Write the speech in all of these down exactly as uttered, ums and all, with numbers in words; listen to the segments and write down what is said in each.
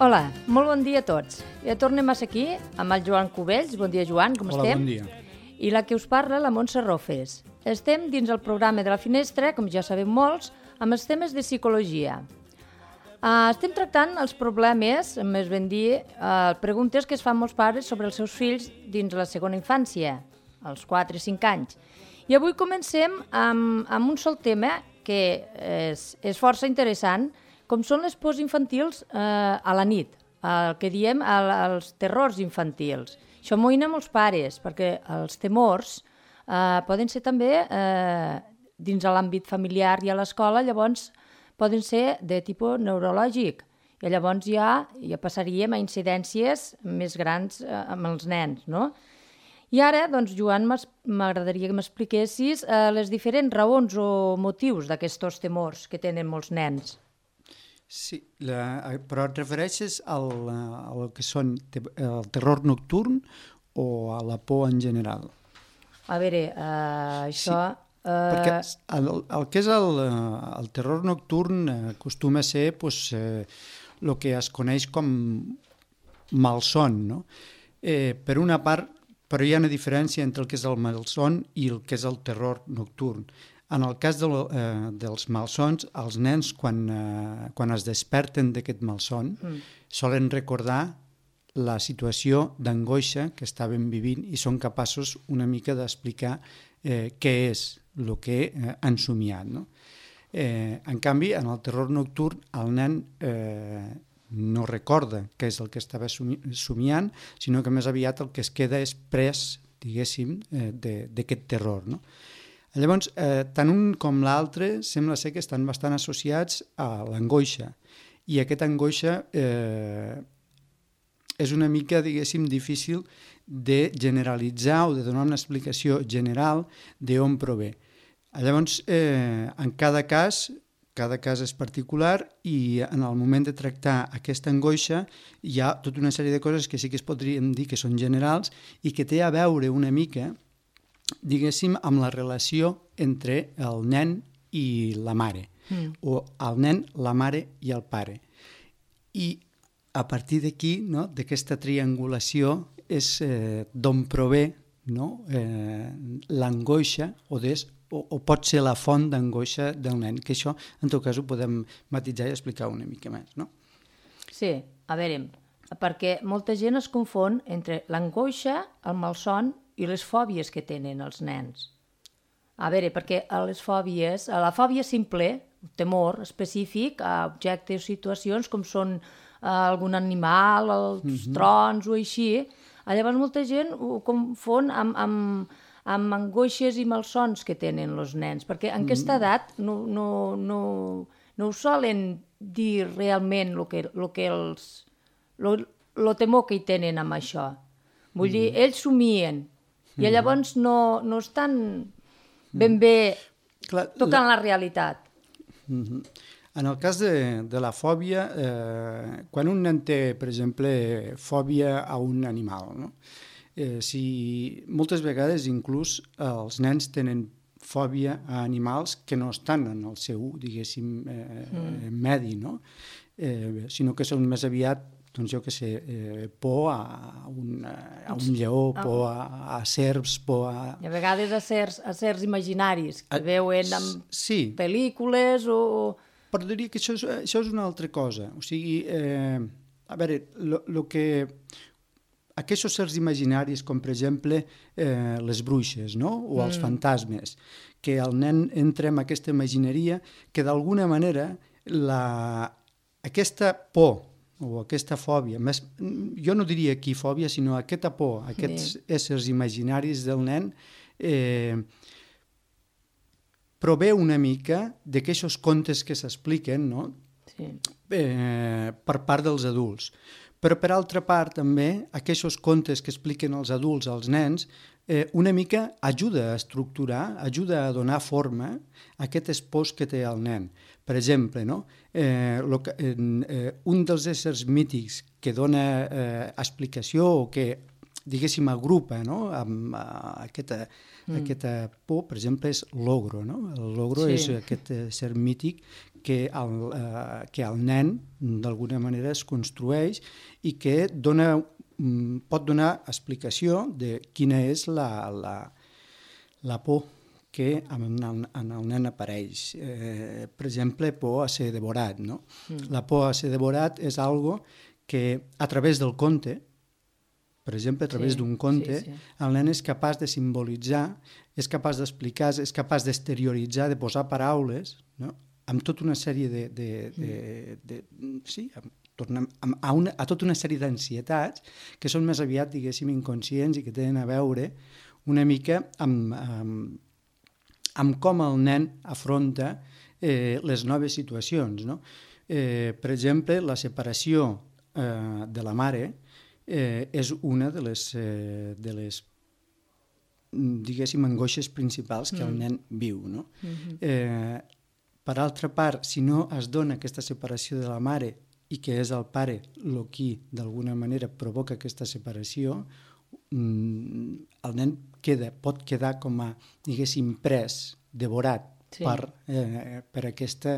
Hola, molt bon dia a tots. Ja tornem a ser aquí amb el Joan Cubells. Bon dia, Joan, com Hola, estem? bon dia. I la que us parla, la Montse Rofes. Estem dins el programa de la Finestra, com ja sabem molts, amb els temes de psicologia. Uh, estem tractant els problemes, més ben dir, uh, preguntes que es fan molts pares sobre els seus fills dins la segona infància, als quatre o cinc anys. I avui comencem amb, amb un sol tema que és, és força interessant, com són les pors infantils eh, a la nit, el que diem el, els terrors infantils. Això amoïna molts pares, perquè els temors eh, poden ser també eh, dins de l'àmbit familiar i a l'escola, llavors poden ser de tipus neurològic, i llavors ja, ja passaríem a incidències més grans eh, amb els nens, no? I ara, doncs, Joan, m'agradaria que m'expliquessis eh, les diferents raons o motius d'aquests temors que tenen molts nens. Sí, la, però et refereixes al, al que són el terror nocturn o a la por en general? A veure, uh, això... Sí, uh... perquè el, el que és el, el terror nocturn acostuma a ser pues, eh, el que es coneix com malson, no? Eh, per una part, però hi ha una diferència entre el que és el malson i el que és el terror nocturn. En el cas de, eh, dels malsons, els nens, quan, eh, quan es desperten d'aquest malson, mm. solen recordar la situació d'angoixa que estaven vivint i són capaços una mica d'explicar eh, què és el que eh, han somiat. No? Eh, en canvi, en el terror nocturn, el nen eh, no recorda què és el que estava somiant, sinó que més aviat el que es queda és pres, diguéssim, eh, d'aquest terror, no? Llavors, eh, tant un com l'altre sembla ser que estan bastant associats a l'angoixa, i aquesta angoixa eh, és una mica, diguéssim, difícil de generalitzar o de donar una explicació general d'on prové. Llavors, eh, en cada cas, cada cas és particular, i en el moment de tractar aquesta angoixa hi ha tota una sèrie de coses que sí que es podríem dir que són generals i que té a veure una mica, diguéssim, amb la relació entre el nen i la mare, mm. o el nen, la mare i el pare. I a partir d'aquí, no, d'aquesta triangulació, és eh, d'on prové, no, eh, l'angoixa o, des, o, o pot ser la font d'angoixa del nen, que això en tot cas ho podem matitzar i explicar una mica més, no? Sí, a veure, perquè molta gent es confon entre l'angoixa, el malson i les fòbies que tenen els nens. A veure, perquè a les fòbies, a la fòbia simple, un temor específic a objectes o situacions com són a algun animal, els mm-hmm. trons o així, llavors molta gent ho confon amb, amb, amb angoixes i malsons que tenen els nens, perquè en mm-hmm. aquesta edat no, no, no, no ho solen dir realment el que, lo que els... el temor que hi tenen amb això. Vull mm-hmm. dir, ells somien, i llavors no, no estan ben bé Clar, tocant la, la realitat. Uh-huh. En el cas de, de la fòbia, eh, quan un nen té, per exemple, fòbia a un animal, no? eh, si moltes vegades inclús els nens tenen fòbia a animals que no estan en el seu, diguéssim, eh, mm. medi, no? eh, sinó que són més aviat, doncs jo què sé, eh, por a un, a un lleó, por a, a serps, por a... I a vegades a certs, a certs imaginaris que a, veuen en sí. pel·lícules o... Però diria que això és, això és una altra cosa. O sigui, eh, a veure, el que... Aquests certs imaginaris, com per exemple eh, les bruixes, no? O els mm. fantasmes, que el nen entra en aquesta imagineria que d'alguna manera la... aquesta por o aquesta fòbia, més, jo no diria aquí fòbia, sinó aquesta por, aquests sí. éssers imaginaris del nen, eh, prové una mica d'aquests contes que s'expliquen, no? Sí. eh, per part dels adults. Però, per altra part, també, aquests contes que expliquen els adults als nens, eh, una mica ajuda a estructurar, ajuda a donar forma a aquestes pors que té el nen. Per exemple, no? eh, lo que, eh, un dels éssers mítics que dona eh, explicació o que diguéssim, agrupa, no? Amb uh, aquesta, mm. aquesta por, per exemple, és l'ogro, no? El l'ogro sí. és aquest ser mític que el, uh, que el nen, d'alguna manera, es construeix i que dona, um, pot donar explicació de quina és la, la, la por que en el, en el nen apareix. Eh, per exemple, por a ser devorat, no? Mm. La por a ser devorat és algo que a través del conte, per exemple, a través sí, d'un conte, sí, sí. el nen és capaç de simbolitzar, és capaç d'explicar, és capaç d'exterioritzar, de posar paraules, no? Amb tota una sèrie de... de, de, de, de sí, amb, tornem a, a, una, a tota una sèrie d'ansietats que són més aviat, diguéssim, inconscients i que tenen a veure una mica amb... amb amb com el nen afronta eh, les noves situacions, no? Eh, per exemple, la separació eh, de la mare eh, és una de les, eh, de les diguéssim, angoixes principals que mm. el nen viu, no? Mm-hmm. Eh, per altra part, si no es dona aquesta separació de la mare i que és el pare el qui, d'alguna manera, provoca aquesta separació, el nen queda, pot quedar com a, diguéssim, pres, devorat sí. per, eh, per aquesta,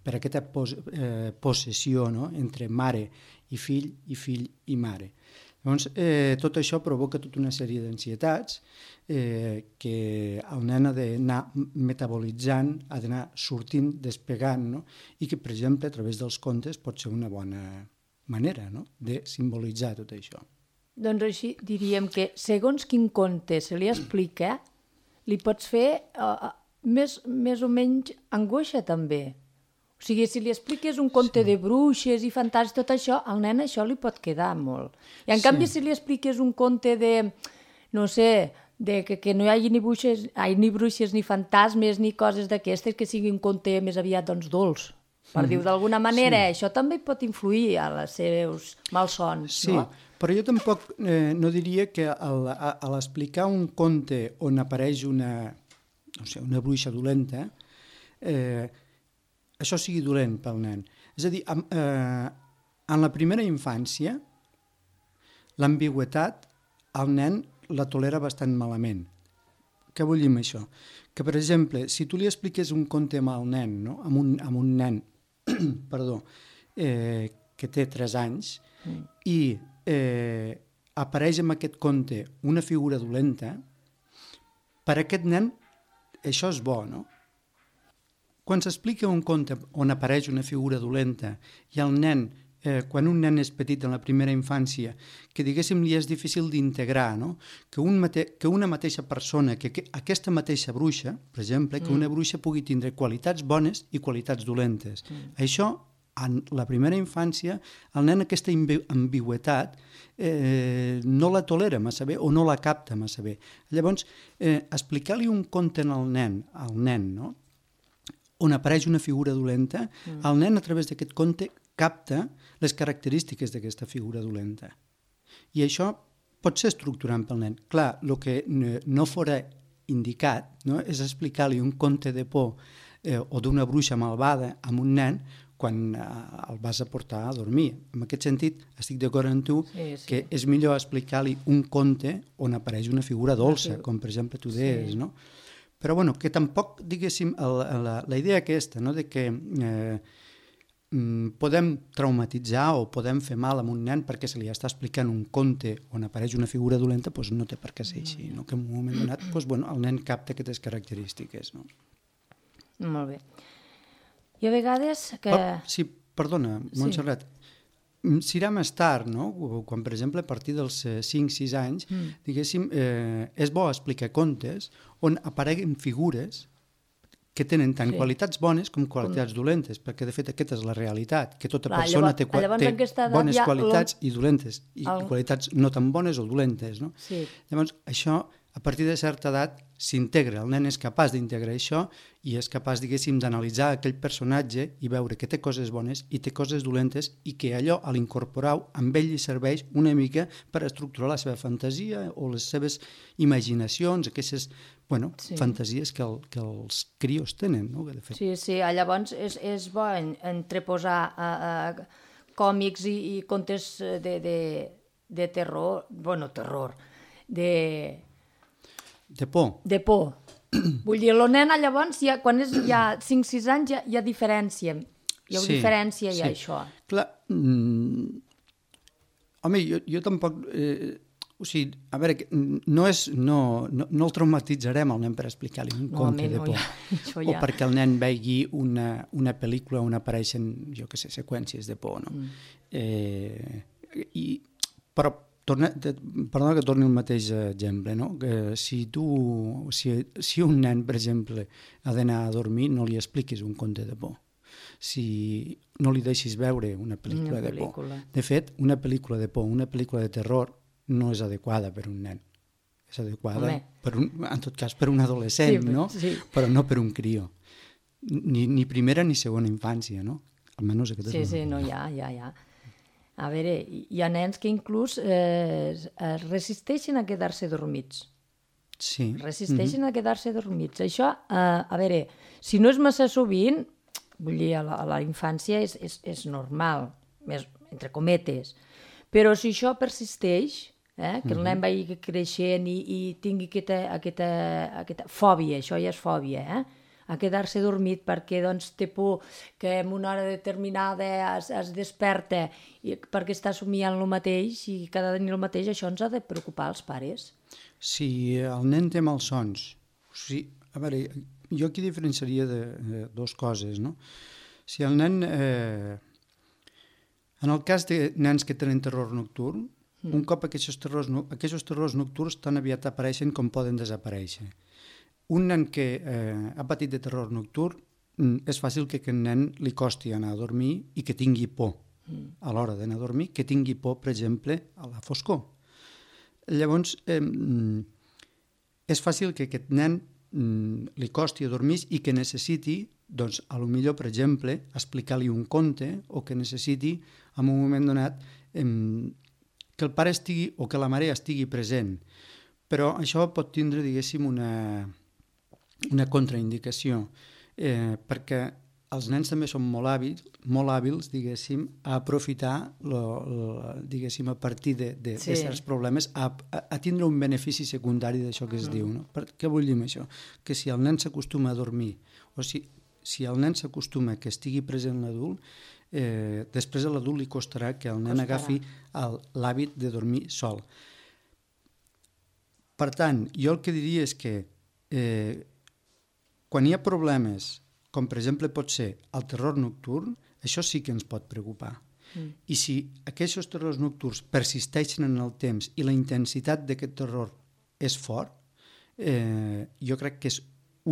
per aquesta pos, eh, possessió, no? Entre mare i fill i fill i mare. Llavors, eh, tot això provoca tota una sèrie d'ansietats eh, que el nen ha d'anar metabolitzant, ha d'anar sortint, despegant, no? I que, per exemple, a través dels contes pot ser una bona manera, no? De simbolitzar tot això. Doncs així diríem que segons quin conte se li explica, li pots fer uh, més, més o menys angoixa també. O sigui, si li expliques un conte sí. de bruixes i fantasmes, tot això, al nen això li pot quedar molt. I en sí. canvi, si li expliques un conte de, no sé, de que, que no hi hagi ni bruixes, ai, ni bruixes, ni fantasmes, ni coses d'aquestes, que sigui un conte més aviat, doncs, dolç. Per mm. dir-ho d'alguna manera, sí. això també pot influir a les seus malsons, sí. no? Però jo tampoc eh, no diria que al, a, a l'explicar un conte on apareix una, no sé, una bruixa dolenta, eh, això sigui dolent pel nen. És a dir, en, eh, en la primera infància, l'ambigüitat, el nen la tolera bastant malament. Què vull dir amb això? Que, per exemple, si tu li expliques un conte amb el nen, no? amb, un, amb un nen perdó, eh, que té tres anys, mm. i eh, apareix en aquest conte una figura dolenta, per aquest nen això és bo, no? Quan s'explica un conte on apareix una figura dolenta i el nen, eh, quan un nen és petit en la primera infància, que diguéssim li és difícil d'integrar, no? Que, un mate que una mateixa persona, que, que aquesta mateixa bruixa, per exemple, que mm. una bruixa pugui tindre qualitats bones i qualitats dolentes. Mm. Això, en la primera infància, el nen aquesta ambigüitat eh, no la tolera massa bé o no la capta massa bé. Llavors, eh, explicar-li un conte al nen, al nen, no? On apareix una figura dolenta, mm. el nen a través d'aquest conte capta les característiques d'aquesta figura dolenta. I això pot ser estructurant pel nen. Clar, el que no fora indicat, no? És explicar-li un conte de por eh, o d'una bruixa malvada a un nen quan eh, el vas a portar a dormir. En aquest sentit, estic d'acord amb tu sí, sí. que és millor explicar-li un conte on apareix una figura dolça, com per exemple tu deies, sí. no? Però bueno, que tampoc, diguéssim, la, la, la idea aquesta, no?, de que eh, podem traumatitzar o podem fer mal a un nen perquè se li està explicant un conte on apareix una figura dolenta, doncs no té per què ser així, no? Que en un moment donat doncs, bueno, el nen capta aquestes característiques. No? Molt bé. I a vegades que... Oh, sí, perdona, Montserrat. Sí. Serà més tard, no? Quan, per exemple, a partir dels cinc sis anys, mm. diguéssim, eh, és bo explicar contes on apareguen figures que tenen tant sí. qualitats bones com qualitats com... dolentes, perquè, de fet, aquesta és la realitat, que tota Clar, persona llavors, té, llavors, té bones ja qualitats lo... i dolentes, i el... qualitats no tan bones o dolentes, no? Sí. Llavors, això, a partir de certa edat, s'integra. El nen és capaç d'integrar això i és capaç, diguéssim, d'analitzar aquell personatge i veure que té coses bones i té coses dolentes i que allò, a l'incorporar-ho, amb ell li serveix una mica per estructurar la seva fantasia o les seves imaginacions, aquestes bueno, sí. fantasies que, el, que els crios tenen. No? De fet. Sí, sí, llavors és, és bo entreposar a, a còmics i, i contes de, de, de terror, bueno, terror, de... De por. De por. Vull dir, la nena llavors, ja, quan és ja cinc sis anys, ja, hi ha diferència. Hi ha Sí, diferència ja, sí. això. Clar, mm, home, jo, jo tampoc... Eh, o sigui, a veure, que no, és, no, no, no el traumatitzarem al nen per explicar-li un No, conte home, de no, por. ja, això O ja. perquè el nen vegi una, una pel·lícula on apareixen, jo què sé, seqüències de por, no? Mm. Eh, i, però, torna, te, perdona que torni el mateix exemple, no? Que si tu, si, si un nen, per exemple, ha d'anar a dormir, no li expliquis un conte de por. Si no li deixis veure una pel·lícula, Una de por. pel·lícula. De fet, una pel·lícula de por, una pel·lícula de terror, no és adequada per un nen. És adequada, Home. per un, en tot cas, per un adolescent, Sí, no? sí. Però no per un crió. Ni, ni primera ni segona infància, no? Almenys aquesta Sí, és sí, no, ja, ja, ja. A veure, hi ha nens que inclús eh, es resisteixen a quedar-se dormits. Sí. Resisteixen mm -hmm. a quedar-se dormits. Això, eh, a veure, si no és massa sovint, vull dir, a la, a la infància és, és, és normal, més, entre cometes, però si això persisteix, eh, que el nen vagi creixent i, i tingui aquesta, aquesta, aquesta fòbia, això ja és fòbia, eh? A quedar-se dormit perquè doncs, té por que en una hora determinada es, es desperta i, perquè està somiant el mateix i cada nit el mateix, això ens ha de preocupar als pares. Si el nen té malsons, o sigui, a veure, jo aquí diferenciaria de, de dues coses, no? Si el nen... Eh, en el cas de nens que tenen terror nocturn, mm. un cop aquests terrors, aquests terrors nocturns tan aviat apareixen com poden desaparèixer. Un nen que eh, ha patit de terror nocturn, és fàcil que aquest nen li costi anar a dormir i que tingui por mm. a l'hora d'anar a dormir, que tingui por, per exemple, a la foscor. Llavors, eh, és fàcil que aquest nen mm, li costi a dormir i que necessiti, doncs, a lo millor, per exemple, explicar-li un conte o que necessiti, en un moment donat, eh, que el pare estigui o que la mare estigui present. Però això pot tindre, diguéssim, una, una contraindicació, eh, perquè els nens també són molt hàbils, molt hàbils, diguéssim, a aprofitar, lo, lo, diguéssim, a partir de, de, sí. de certs problemes, a, a, a tindre un benefici secundari d'això que es mm. diu. No? Per, què vull dir amb això? Que si el nen s'acostuma a dormir, o si, si el nen s'acostuma que estigui present l'adult, eh, després a l'adult li costarà que el nen costarà. agafi l'hàbit de dormir sol. Per tant, jo el que diria és que eh, quan hi ha problemes, com per exemple pot ser el terror nocturn, això sí que ens pot preocupar. Mm. I si aquests terrors nocturns persisteixen en el temps i la intensitat d'aquest terror és fort, eh, jo crec que és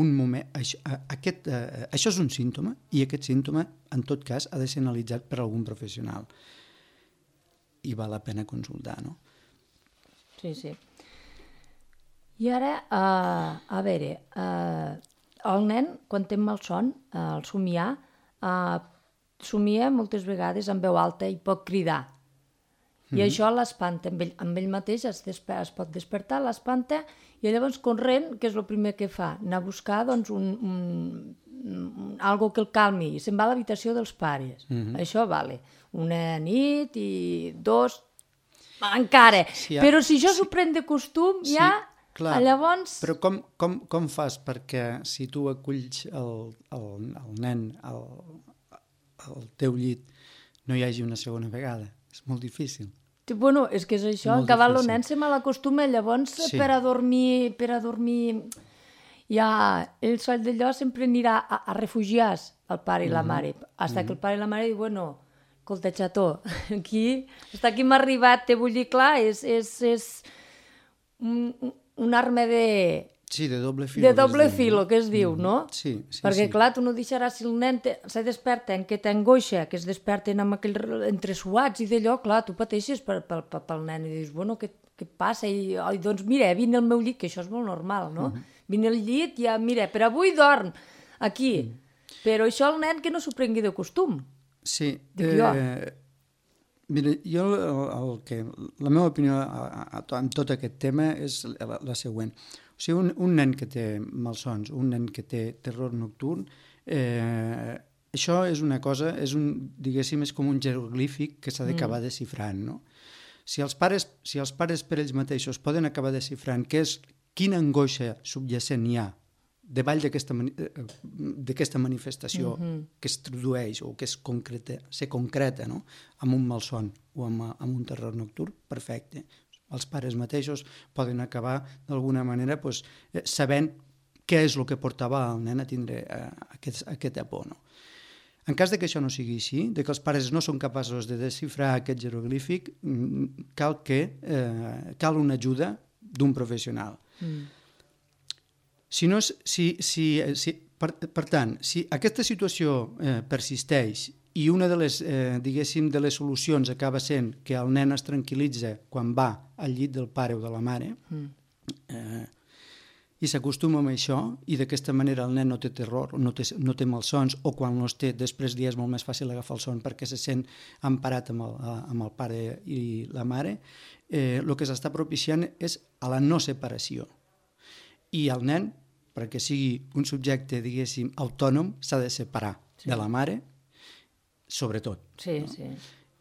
un moment... Això, aquest, eh, això és un símptoma i aquest símptoma, en tot cas, ha de ser analitzat per algun professional. I val la pena consultar, no? Sí, sí. I ara, uh, a veure... Uh... El nen, quan té malson, eh, el somiar, eh, somia moltes vegades en veu alta i pot cridar. I mm-hmm. això l'espanta. Amb, amb ell mateix es, desper es pot despertar, l'espanta, i llavors corrent, que és el primer que fa? Anar a buscar doncs, un, un, un, algo que el calmi. I se'n va a l'habitació dels pares. Mm-hmm. Això vale. Una nit i dos... Encara. Sí, ja. Però si jo s'ho pren de costum, sí. ja... Clar, llavors... però com, com, com fas perquè si tu aculls el, el, el nen al, al teu llit no hi hagi una segona vegada? És molt difícil. Bueno, és que és això, en acabar el nen se mal acostuma, llavors sí. per a dormir, per a dormir, ja el sol d'allò sempre anirà a, a refugiar-se el pare i la mare, fins mm-hmm. que el pare i la mare diuen, bueno, escolta, xató, aquí, fins aquí m'ha arribat, te vull dir, clar, és, és, és un, un arma de... Sí, de doble filo. De doble filo, que es diu, no? Sí, sí. Perquè, sí. clar, tu no deixaràs, si el nen te, se desperta en que t'angoixa, que es desperten amb aquell entresuats i d'allò, clar, tu pateixes per, per, per, pel nen i dius, bueno, què, què passa? I, oh, doncs mira, vine al meu llit, que això és molt normal, no? Uh -huh. Vine al llit i ja, mira, per avui dorm, aquí. Uh -huh. Però això el nen que no s'ho prengui de costum. Sí. Dic eh... jo. Mira, jo el, el que, la meva opinió en tot aquest tema és la, la següent. O sigui, un, un nen que té malsons, un nen que té terror nocturn, eh, això és una cosa, és un, diguéssim, és com un jeroglífic que s'ha d'acabar mm. desxifrant, no? Si els pares, si els pares per ells mateixos poden acabar desxifrant què és, quina angoixa subjacent hi ha davall d'aquesta d'aquesta manifestació mm-hmm. que es tradueix o que es concreta, se concreta, no? Amb un malson o amb, amb un terror nocturn, perfecte. Els pares mateixos poden acabar d'alguna manera pues, sabent què és el que portava el nen a tindre uh, aquest, aquesta por. No? En cas de que això no sigui així, de que els pares no són capaços de desxifrar aquest jeroglífic, cal, que, eh, cal una ajuda d'un professional. Mm. Si no, si, si, si, per, per tant, si aquesta situació eh, persisteix i una de les, eh, diguéssim, de les solucions acaba sent que el nen es tranquil·litza quan va al llit del pare o de la mare, mm. eh, i s'acostuma amb això, i d'aquesta manera el nen no té terror, no té, no té malsons, o quan no els té, després li és molt més fàcil agafar el son perquè se sent emparat amb el, amb el pare i la mare, eh, el que s'està propiciant és a la no separació. I el nen, perquè sigui un subjecte, diguéssim, autònom, s'ha de separar sí. de la mare, sobretot. Sí, no? sí.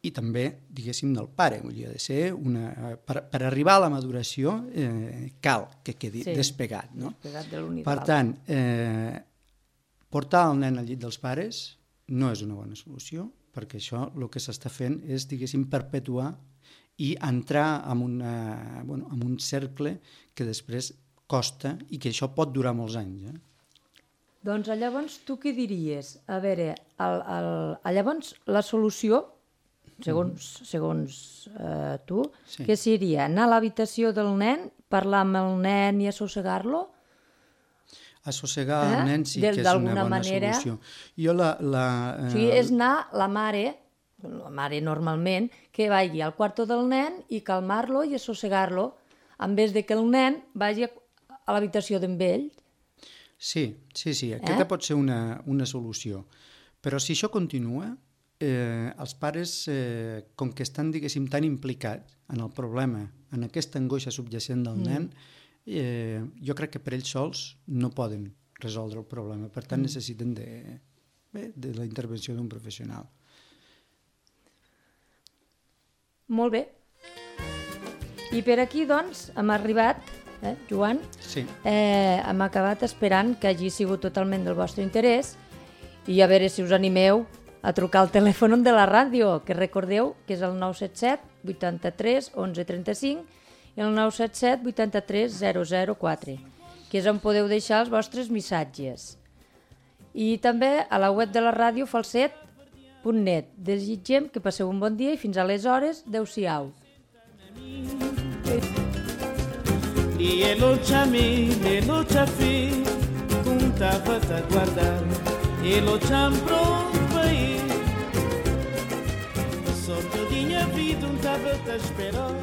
I també, diguéssim, del pare. Vull dir, ha de ser una... Per, per arribar a la maduració eh, cal que quedi sí, despegat. No? Despegat de l'un i de per l'altre. tant, eh, portar el nen al llit dels pares no és una bona solució, perquè això el que s'està fent és, diguéssim, perpetuar i entrar en, una, bueno, en un cercle que després costa i que això pot durar molts anys. Eh? Doncs llavors tu què diries? A veure, el, el, llavors la solució, segons, segons eh, tu, sí. què seria? Anar a l'habitació del nen, parlar amb el nen i assossegar-lo? Assossegar eh? el nen sí de, que és una bona manera... solució. Jo la, la, eh... O sigui, és anar la mare, la mare normalment, que vagi al quarto del nen i calmar-lo i assossegar-lo, en vez de que el nen vagi a, a l'habitació d'en ell. Sí, sí, sí, aquesta eh? pot ser una, una solució. Però si això continua, eh, els pares, eh, com que estan, diguéssim, tan implicats en el problema, en aquesta angoixa subjacent del mm. nen, eh, jo crec que per ells sols no poden resoldre el problema. Per tant, mm. necessiten de, bé, de la intervenció d'un professional. Molt bé. I per aquí, doncs, hem arribat, eh, Joan? Sí. Eh, hem acabat esperant que hagi sigut totalment del vostre interès i a veure si us animeu a trucar al telèfon de la ràdio, que recordeu que és el nou set set vuitanta-tres onze trenta-cinc i el nou set set vuitanta-tres zero zero quatre, que és on podeu deixar els vostres missatges. I també a la web de la ràdio falset punt net. Desitgem que passeu un bon dia i fins aleshores, adeu-siau. E elo chami, elo chafi, contava-te a guardar, elo cham pronto para ir. Só que eu tinha vida, um tava-te a esperar.